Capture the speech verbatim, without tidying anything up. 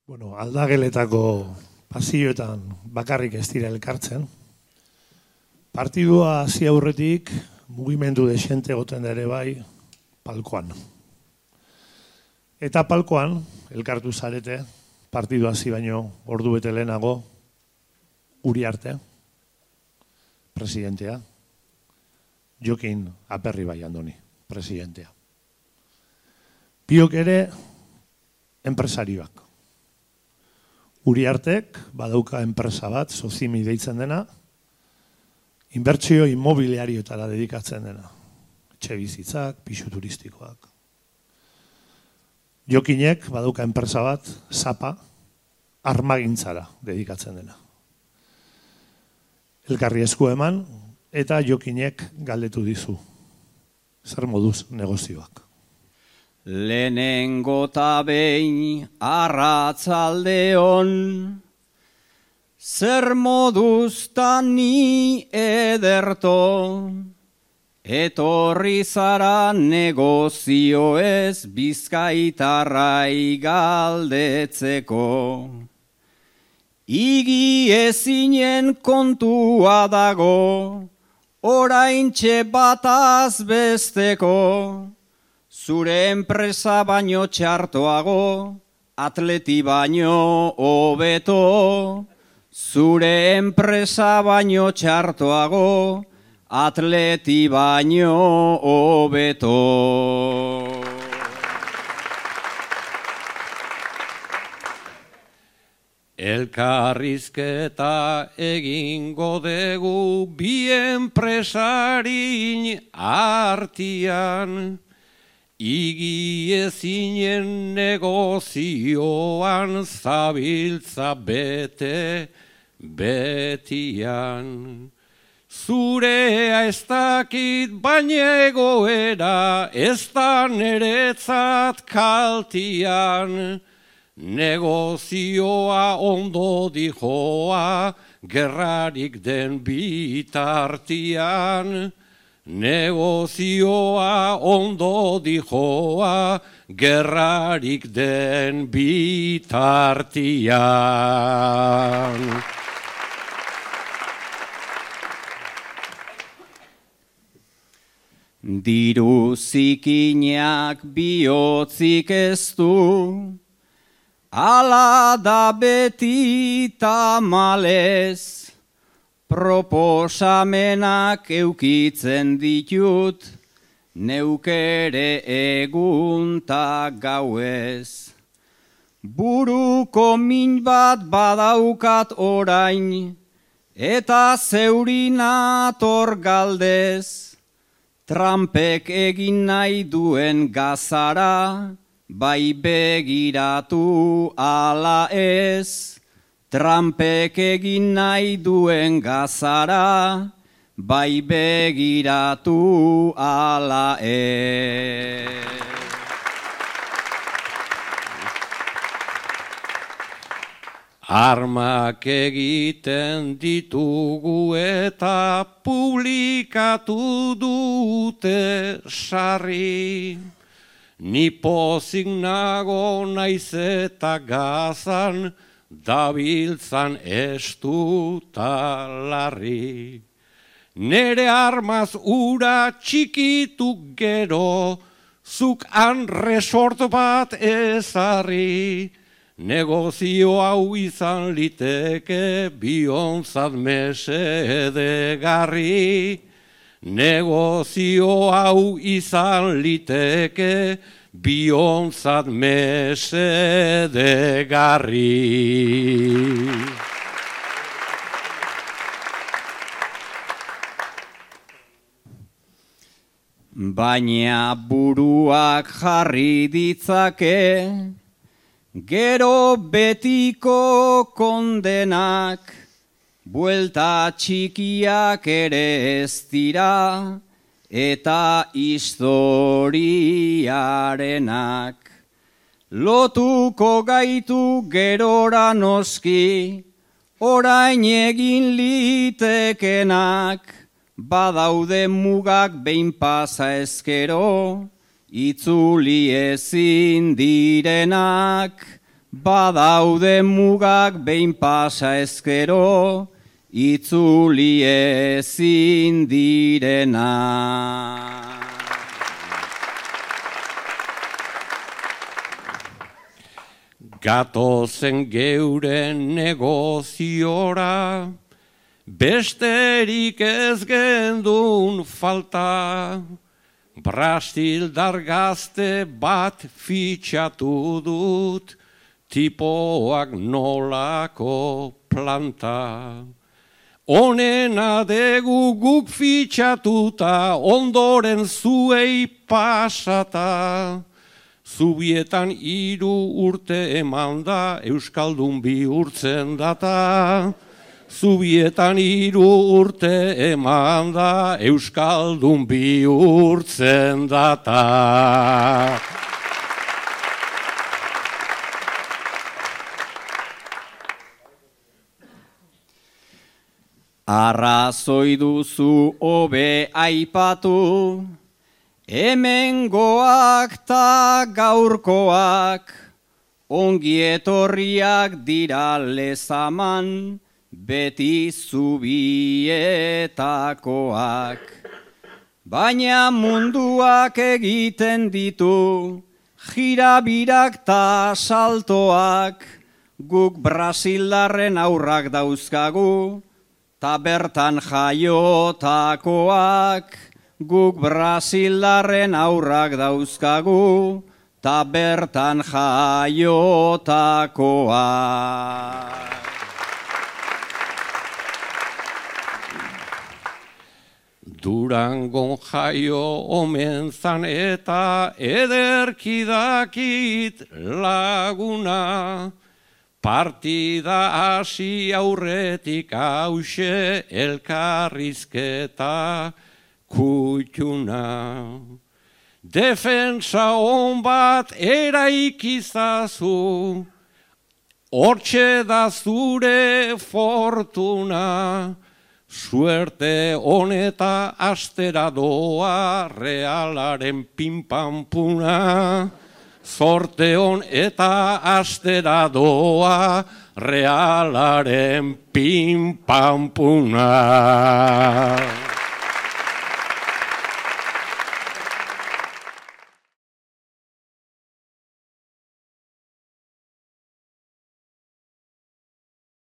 Bueno, aldageletako pasioetan bakarrik ez dira elkartzen. Partidua hasi aurretik mugimendu desente egoten ere bai palkoan. Eta palkoan, elkartu zarete, partidua hasi baino ordu bete lehenago, Uriarte, presidentea, Jokin Aperribai Andoni, presidentea. Biok ere enpresarioak. Uriartek badauka enpresa bat, Sozimi deitzen dena, inbertsio immobiliarioetara dedikatzen dena. Etxe bizitzak, pisu turistikoak. Jokinek badauka enpresa bat, Zapa, armagintzara dedikatzen dena. Elkarri esku eman, eta Jokinek galdetu dizu. Zer moduz negozioak. Lehenengo ta behin arratzaldeon, zer moduz ta ni ederto, etorri zara negozio ez bizkaitarrai galdetzeko. Igi ezinen kontua dago, oraintxe bataz besteko, zure enpresa baino txartoago, atleti baino hobeto. Zure enpresa baino txartoago, atleti baino hobeto. Elkarrizketa egingo dugu bi enpresarin artian, igi ezinen negozioan zabiltza bete betian. Zurea ez dakit baina egoera ez da neretzat kaltian. Negozioa ondo dijoa gerrarik den bitartian. Negozioa ondo dijoa gerrarik den bitartian. Diru zikinak bihotzik ez du, ala da beti tamalez, proposamenak eukitzen ditut, neukere egun ta gauez. Buruko min bat badaukat orain, eta zeurinator galdez, Trumpek egin nahi duen gazara, bai begiratu ala ez. Trumpek egin nahi duen gazara, bai begiratu ala ez. Armak egiten ditugu eta publikatu dute sarri. Ni pozik nago naiz eta gazan, dabiltzan estu ta larri. Nere armaz ura txikitu gero, zuk han resort bat ezarri. Negozio hau izan liteke bionzat mesedegarri. Negozio hau izan liteke bionzat mesedegarri. Baina buruak jarri ditzake, gero betiko kondenak, buelta txikiak ere ez dira, eta historiarenak. Lotuko gaitu gerora noski, orain egin litekenak, badaude mugak behin pasa ezkero, itzuli ezin direnak, badaude mugak behin pasa ezkero, itzuli ezin direna. Gatozen geuren negoziora, besterik ez gendun falta, Brasildar gazte bat fitxatu dut, tipoak nolako planta. Honena degu guk fitxatuta, ondoren zuei pasata, Zubietan hiru urte eman da, Euskaldun bihurtzen data. Zubietan hiru urte eman da, Euskaldun bihurtzen data. Arrazoi duzu hobe aipatu, hemengoak ta gaurkoak, ongi etorriak dira lezaman, beti zubietakoak. Baina munduak egiten ditu, jirabirak ta saltoak, guk Brasildarren aurrak dauzkagu, ta bertan jaiotakoak, guk Brasildarren aurrak dauzkagu, ta bertan jaiotakoak. Durangon jaio omen zan eta ederki dakit laguna, partida hasi aurretik hause elkarrizketa kutxuna. Defensa on bat eraikizazu, hortxe da zure fortuna, suerte honeta astera doa Realaren pinpampuna. Zorte hon eta astera doa Realaren pinpampuna.